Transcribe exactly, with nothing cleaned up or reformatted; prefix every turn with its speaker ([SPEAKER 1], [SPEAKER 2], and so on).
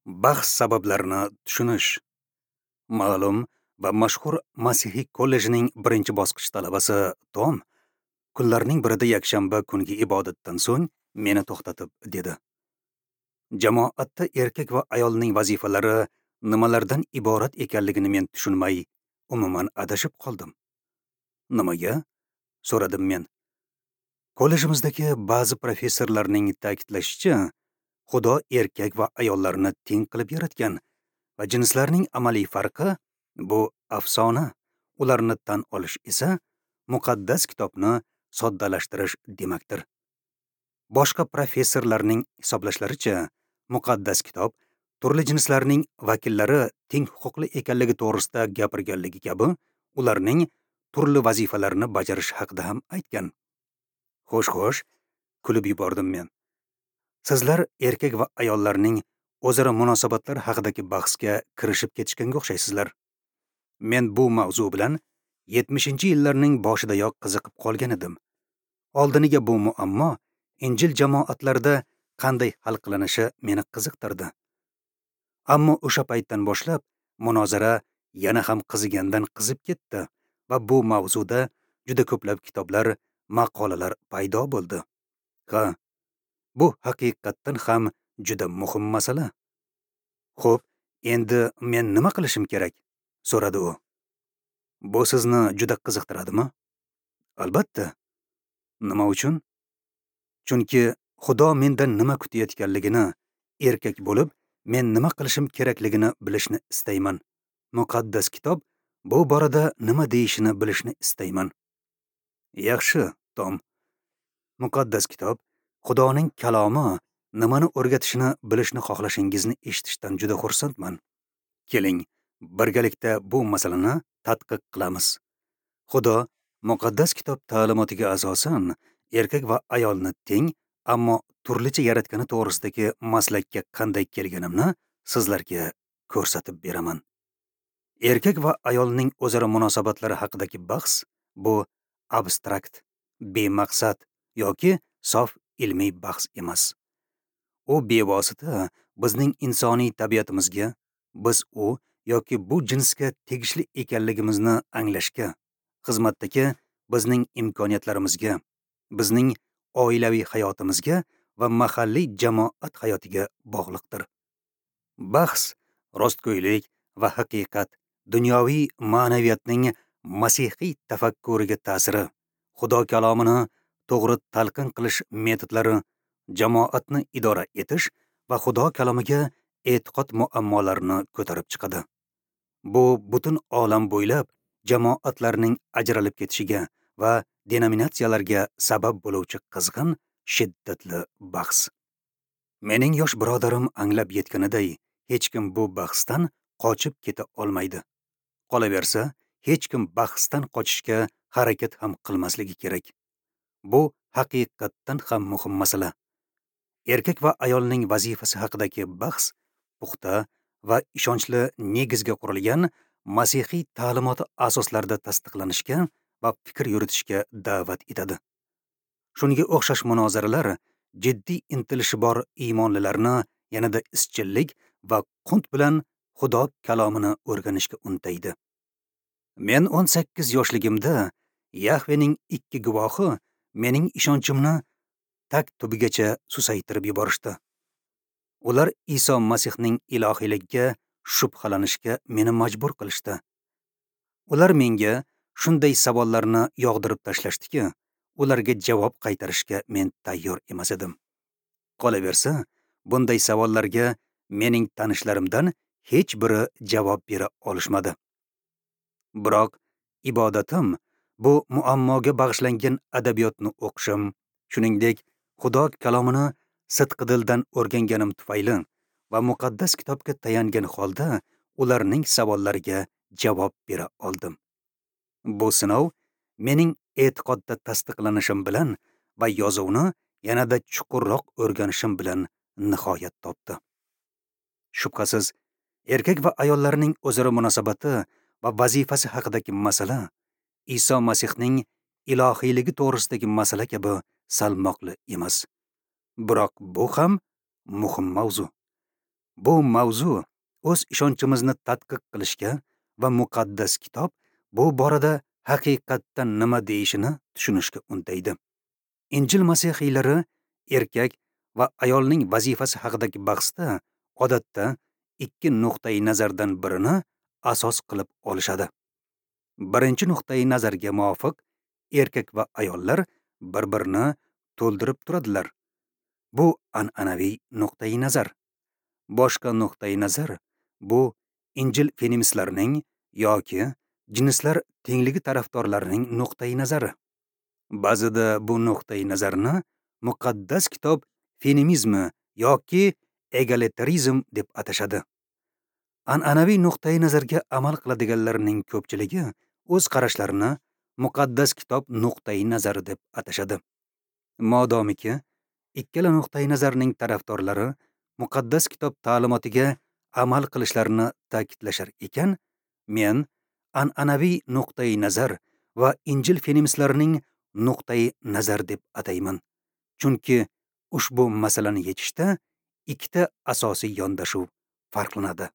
[SPEAKER 1] Bahs sabablarini tushunish. Ma'lum va mashhur Masihiy kollejining birinchi bosqich talabasi Tom kunlarning birida yakshanba kungi ibodatdan so'ng meni to'xtatib dedi: Jamoatda erkak va ayolning vazifalari nimalardan iborat ekanligini men tushunmay, umuman adashib qoldim. Nimaga? So'radim men. Kollejimizdagi ba'zi professorlarning ta'kidlashicha, Xudo erkak va ayollarni teng qilib yaratgan va jinslarning amaliy farqi bu afsona, ularni tan olish esa muqaddas kitobni soddalashtirish demakdir. Boshqa professorlarning hisoblashlaricha, muqaddas kitob turli jinslarning vakillari teng huquqli ekanligi to'g'risida gapirganligi kabi, ularning turli vazifalarini bajarish haqida ham aytgan. Xo'sh, xo'sh, kulib yubordim men. Sizlar erkak va ayollarning o'zaro munosabatlar haqidagi bahsga kirishib ketishganga o'xshaysizlar. Men bu mavzu bilan yetmishinchi yillarning boshidayoq qiziqib qolgan edim. Oldiniga bu muammo Injil jamoatlarida qanday hal qilinishi meni qiziqtirdi. Ammo o'sha paytdan boshlab munozara yana ham qizigandan qizib ketdi va bu mavzuda juda ko'plab kitoblar, maqolalar paydo bo'ldi. Ha, bu haqiqatdan ham juda muhim masala. Xo'p, endi men nima qilishim kerak? So'radi u. Bu sizni juda qiziqtiradimi? Albatta. Nima uchun? Chunki Xudo mendan nima kutayotganligini, erkak bo'lib men nima qilishim kerakligini bilishni istayman. Muqaddas kitob bu borada nima deyishini bilishni istayman. Yaxshi, Tom. Muqaddas kitob Xudoning kalomi nimani o'rgatishini bilishni xohlashingizni eshitishdan juda xursandman. Keling, birgalikda bu masalani tadqiq qilamiz. Xudo muqaddas kitob ta'limotiga asosan erkak va ayolni teng, ammo turlicha yaratgani to'g'risidagi maslakka qanday kelganimni sizlarga ko'rsatib beraman. Erkak va ayolning o'zaro munosabatlari haqidagi bahs bu abstrakt, bemaqsad yoki sof ilmiy bahs emas. U bevosita bizning insoniy tabiatimizga, biz u yoki bu jinsga tegishli ekanligimizni anglashga, xizmatdagi bizning imkoniyatlarimizga, bizning oilaviy hayotimizga va mahalliy jamoat hayotiga bog'liqdir. Bahs rostgo'ylik va haqiqat, dunyoviy ma'naviyatning masihiy tafakkuriga ta'siri, Xudo kalomini to'g'ri talqin qilish metodlari, jamoatni idora etish va Xudo kalomiga e'tiqod muammolarini ko'tarib chiqadi. Bu butun olam bo'ylab jamoatlarning ajralib ketishiga va denominatsiyalarga sabab bo'luvchi qizg'in, shiddatli bahs. Mening yosh birodarim anglab yetganiday, hech kim bu bahsdan qochib keta olmaydi. Qolaversa, hech kim bahsdan qochishga harakat ham qilmasligi kerak. Bu haqiqatdan ham muhim masala. Erkak va ayolning vazifasi haqidagi bahs puxta va ishonchli negizga qurilgan masihiy ta'limoti asoslarida tasdiqlanishga va fikr yuritishga da'vat etadi. Shunga o'xshash munozaralar jiddiy intilishi bor iymonlilarni yanada izchillik va qunt bilan Xudo kalomini o'rganishga untaydi. Men o'n sakkiz yoshligimda Yahvening ikki guvohi mening ishonchimni tag tubigacha susaytirib yuborishdi. Ular Iso Masihning ilohiyligiga shubhalanishga meni majbur qilishdi. Ular menga shunday savollarni yog'dirib tashlashdiki, ularga javob qaytarishga men tayyor emas edim. Qolaversa, bunday savollarga mening tanishlarimdan hech biri javob bera olishmadi. Biroq ibodatim bu muammoga bag'ishlangan adabiyotni o'qishim, shuningdek, Xudo kalomini sidqi dildan o'rganganim tufayli va muqaddas kitobga tayangan holda ularning savollariga javob bera oldim. Bu sinov mening e'tiqodda tasdiqlanishim bilan va yozuvni yanada chuqurroq o'rganishim bilan nihoyat topdi. Shubhasiz, erkak va ayollarning o'zaro munosabati va vazifasi haqidagi masala Iso Masihning ilohiyligi to'g'risidagi masala kabi salmoqli emas. Biroq bu ham muhim mavzu. Bu mavzu o'z ishonchimizni tadqiq qilishga va muqaddas kitob bu borada haqiqatdan nima deyishini tushunishga undaydi. Injil masihiylari erkak va ayolning vazifasi haqidagi bahsda odatda ikki nuqtai nazardan birini asos qilib olishadi. Birinchi nuqtai nazarga muvofiq erkak va ayollar bir-birini to'ldirib turadilar. Bu an'anaviy nuqtai nazar. Boshqa nuqtai nazar bu Injil feministlarining yoki jinslar tengligi tarafdorlarining nuqtai nazari. Ba'zida bu nuqtai nazarni muqaddas kitob feminizmi yoki egalitarizm deb atashadi. An'anaviy nuqtai nazarga amal qiladiganlarning ko'pchiligi o'z qarashlarini muqaddas kitob nuqtai nazari deb atashadi. Modomiki, ikkala nuqtai nazarning tarafdorlari muqaddas kitob ta'limotiga amal qilishlarini ta'kidlashar ekan, men an'anaviy nuqtai nazar va Injil feministlarining nuqtai nazar deb atayman. Chunki ushbu masalani yechishda ikkita asosiy yondashuv farqlanadi.